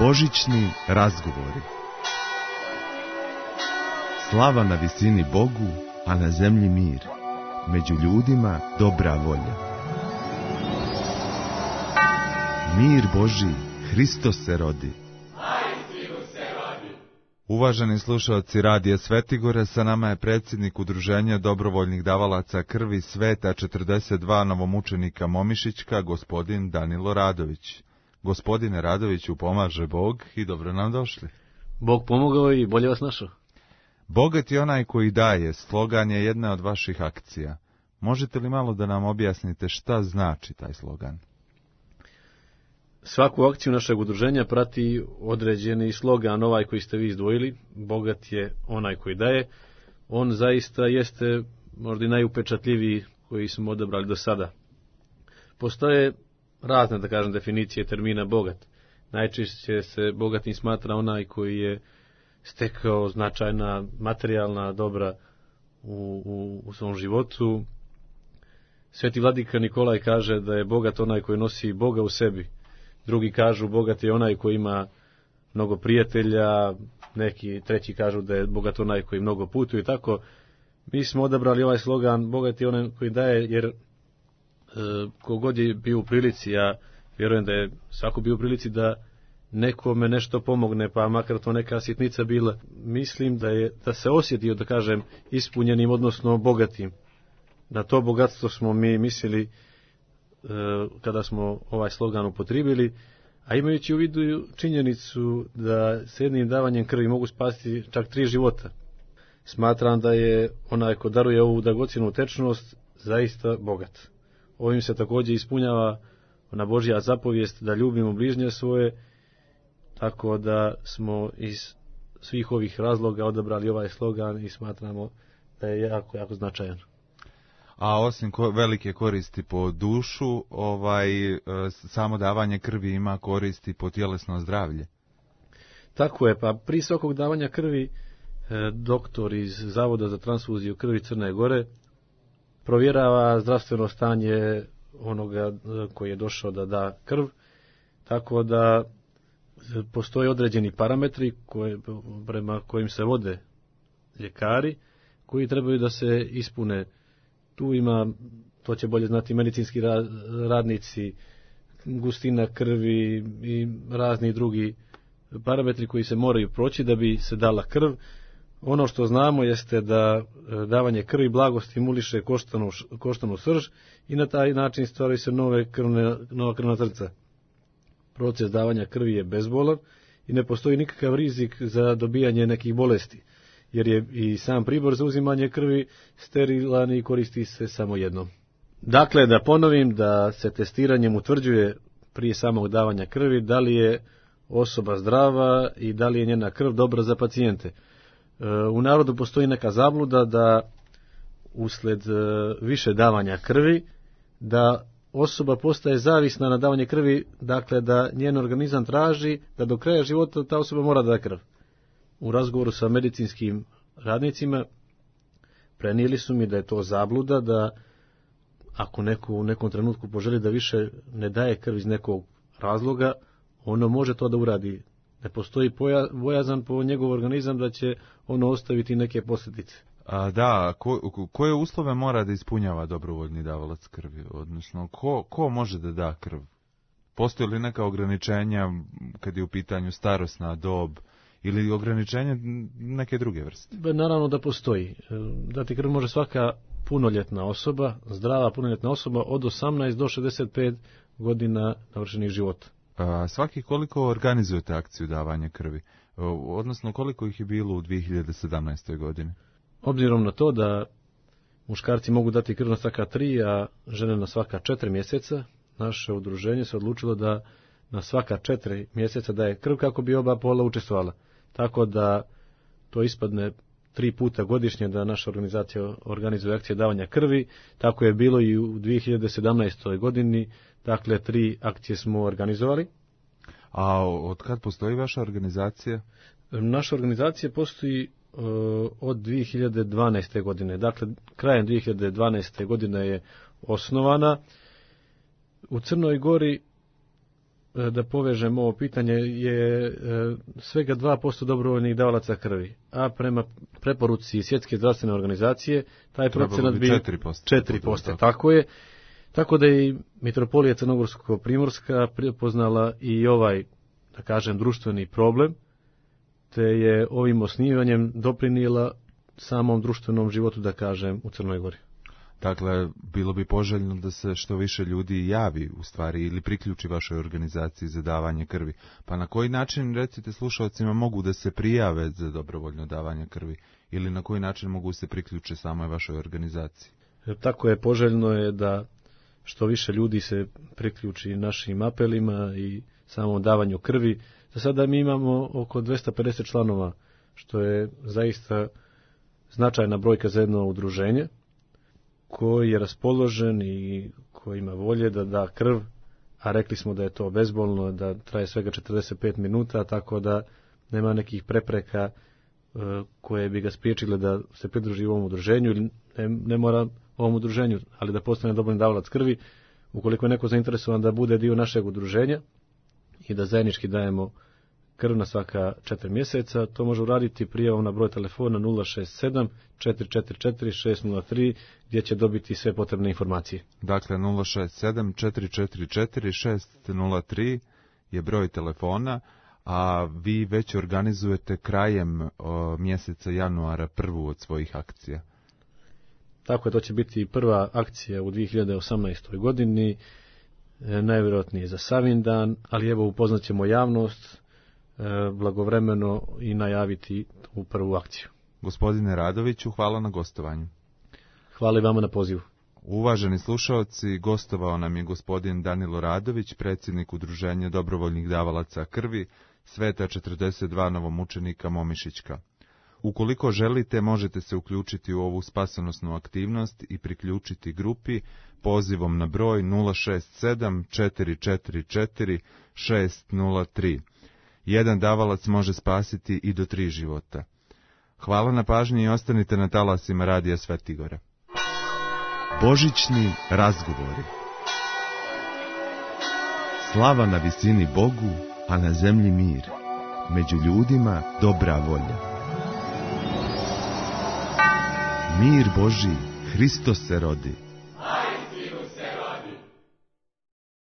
Božićni razgovori. Slava na visini Bogu, a na zemlji mir. Među ljudima dobra volja. Mir Božji, Hristos se rodi. Uvaženi slušalci Radija Svetigore, sa nama je predsjednik Udruženja dobrovoljnih davalaca krvi Sveta 42 novomučenika Momišićka, gospodin Danilo Radović. Gospodine Radoviću, pomaže Bog i dobro nam došli. Bog pomogao i bolje vas našao. Bogat je onaj koji daje, slogan je jedna od vaših akcija. Možete li malo da nam objasnite šta znači taj slogan? Svaku akciju našeg udruženja prati određeni slogan, ovaj koji ste vi izdvojili. Bogat je onaj koji daje. On zaista jeste možda i najupečatljiviji koji smo odabrali do sada. Postoje razne, da kažem, definicije termina bogat. Najčešće se bogatim smatra onaj koji je stekao značajna materijalna dobra u svom životu. Sveti vladika Nikolaj kaže da je bogat onaj koji nosi Boga u sebi. Drugi kažu bogat je onaj koji ima mnogo prijatelja, neki treći kažu da je bogat onaj koji mnogo putuje i tako. Mi smo odabrali ovaj slogan bogat je onaj koji daje, jer kogod je bio u prilici, ja vjerujem da je svako bio u prilici da nekome nešto pomogne, pa makar to neka sitnica bila. Mislim da se osjetio, da kažem, ispunjenim, odnosno bogatim. Na to bogatstvo smo mi mislili kada smo ovaj slogan upotrijebili, a imajući u vidu činjenicu da s jednim davanjem krvi mogu spasiti čak 3 života. Smatram da je onaj ko daruje ovu dragocjenu tečnost zaista bogat. Ovim se također ispunjava ona Božja zapovijest da ljubimo bližnje svoje, tako da smo iz svih ovih razloga odabrali ovaj slogan i smatramo da je jako, jako značajan. A osim velike koristi po dušu, samo davanje krvi ima koristi po tjelesno zdravlje. Tako je, pa prije svakog davanja krvi doktor iz Zavoda za transfuziju krvi Crne Gore provjerava zdravstveno stanje onoga koji je došao da da krv, tako da postoje određeni parametri prema kojim se vode ljekari, koji trebaju da se ispune. Tu ima, to će bolje znati medicinski radnici, gustina krvi i razni drugi parametri koji se moraju proći da bi se dala krv. Ono što znamo jeste da davanje krvi blago stimuliše koštanu srž i na taj način stvaraju se nova krvna zrnca. Proces davanja krvi je bezbolan i ne postoji nikakav rizik za dobijanje nekih bolesti, jer je i sam pribor za uzimanje krvi sterilan i koristi se samo jednom. Dakle, da ponovim da se testiranjem utvrđuje prije samog davanja krvi da li je osoba zdrava i da li je njena krv dobra za pacijente. U narodu postoji neka zabluda da usled više davanja krvi, da osoba postaje zavisna na davanje krvi, dakle da njen organizam traži da do kraja života ta osoba mora da krv. U razgovoru sa medicinskim radnicima prenijeli su mi da je to zabluda, da ako neko u nekom trenutku poželi da više ne daje krv iz nekog razloga, ono može to da uradi. Ne postoji bojazan po njegov organizam da će ono ostaviti neke posljedice. Koje uslove mora da ispunjava dobrovoljni davalac krvi? Odnosno, ko može da da krv? Postoji li neka ograničenja kad je u pitanju starosna dob ili ograničenje neke druge vrste? Naravno da postoji. Dati krv može svaka punoljetna osoba, zdrava punoljetna osoba od 18 do 65 godina navršenih života. Svaki koliko organizujete akciju davanja krvi? Odnosno, koliko ih je bilo u 2017. godini? Obzirom na to da muškarci mogu dati krv na svaka 3, a žene na svaka 4 mjeseca, naše udruženje se odlučilo da na svaka 4 mjeseca daje krv kako bi oba pola učestvovala. Tako da to ispadne 3 puta godišnje da naša organizacija organizuje akcije davanja krvi. Tako je bilo i u 2017. godini, dakle 3 akcije smo organizovali. A od kad postoji vaša organizacija? Naša organizacija postoji od 2012. godine. Dakle, krajem 2012. godine je osnovana. U Crnoj Gori da povežem ovo pitanje, je svega 2% dobrovoljnih davalaca krvi, a prema preporuci Svjetske zdravstvene organizacije taj procenat bi 4%. Tako je. Tako da je i Mitropolija Crnogorsko-Primorska prepoznala i ovaj, da kažem, društveni problem, te je ovim osnivanjem doprinijela samom društvenom životu, da kažem, u Crnoj Gori. Dakle, bilo bi poželjno da se što više ljudi javi, u stvari, ili priključi vašoj organizaciji za davanje krvi. Pa na koji način, recite slušalcima, mogu da se prijave za dobrovoljno davanje krvi? Ili na koji način mogu se priključe samoj vašoj organizaciji? Tako je, poželjno je da što više ljudi se priključi našim apelima i samom davanju krvi. Za sada mi imamo oko 250 članova, što je zaista značajna brojka za jedno udruženje, koji je raspoložen i koji ima volje da da krv, a rekli smo da je to bezbolno, da traje svega 45 minuta, tako da nema nekih prepreka koje bi ga spriječile da se pridruži ovom udruženju, ili ne mora ovom udruženju, ali da postane dobrovoljni davalac krvi, ukoliko je neko zainteresovan da bude dio našeg udruženja i da zajednički dajemo krv na svaka 4 mjeseca, to može uraditi prijavom na broj telefona 067 444 603, gdje će dobiti sve potrebne informacije. Dakle, 067 444 603 je broj telefona, a vi već organizujete krajem mjeseca januara prvu od svojih akcija. Tako je, to će biti prva akcija u 2018. godini, najvjerojatnije za Savindan, ali evo upoznat ćemo javnost blagovremeno i najaviti u prvu akciju. Gospodine Radoviću, hvala na gostovanju. Hvala i vama na pozivu. Uvaženi slušaoci, gostovao nam je gospodin Danilo Radović, predsjednik Udruženja dobrovoljnih davalaca krvi, Sveta 42 novomučenika Momišićka. Ukoliko želite, možete se uključiti u ovu spasonosnu aktivnost i priključiti grupi pozivom na broj 067 444 603. Jedan davalac može spasiti i do 3 života. Hvala na pažnji i ostanite na talasima Radija Svetigora. Božićni razgovori. Slava na visini Bogu, a na zemlji mir. Među ljudima dobra volja. Mir Božji, Hristos se rodi.